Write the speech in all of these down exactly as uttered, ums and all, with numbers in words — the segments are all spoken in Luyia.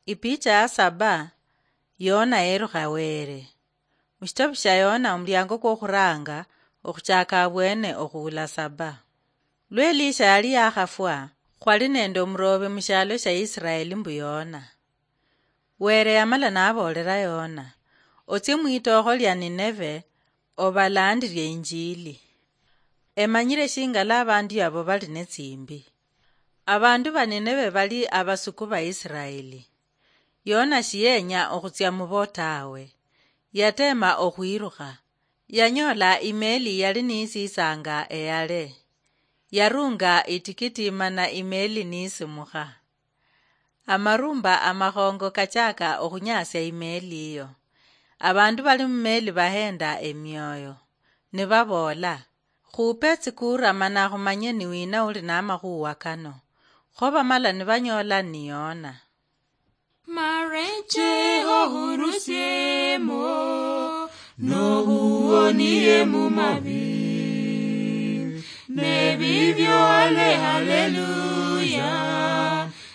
Ipicha ya saba. Yona yerukha Were. Mushitabu shia Yona, omuliango kwokhuranga okhuchaka abwene okhuula saba. Lwa Elisha yali yakhafwa, khwali nende omurobe mushialo shia Israeli mbu Yona. Were yamala naboolera Yona, "Otsie mwitookho lia Nineve, obalandirie injili. Emanyire shingala abandu abo bali netsimbi." Abandu ba Nineve bali abasuku ba Israeli. Yona shiyenya okhutsia mubo tawe. Yateema okhwirukha. Yanyoola imeeli yali niisitsanga eyale. Yaruunga itikiti mana imeeli niisimukha. Amarumba amakhongo kachaaka okhunyasia imeeli iyo. Abandu bali mumeeli baheenda emioyo, nibaboola, "Khuupe tsikuura mana khumanye ni wina uli namakhuuwa kano." Kho bamala nibanyoola ni Yona. Mareche ohurusiemo, nohuonie mumabi. Nebibyo ale haleluya,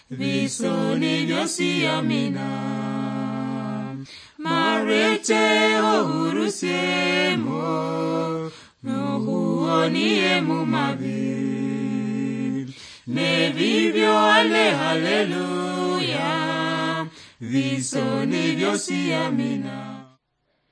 bisoni byosi amina. Mareche ohurusiemo, nohuonie mumabi. Nebibyo ale haleluya, bisoni byosi amina.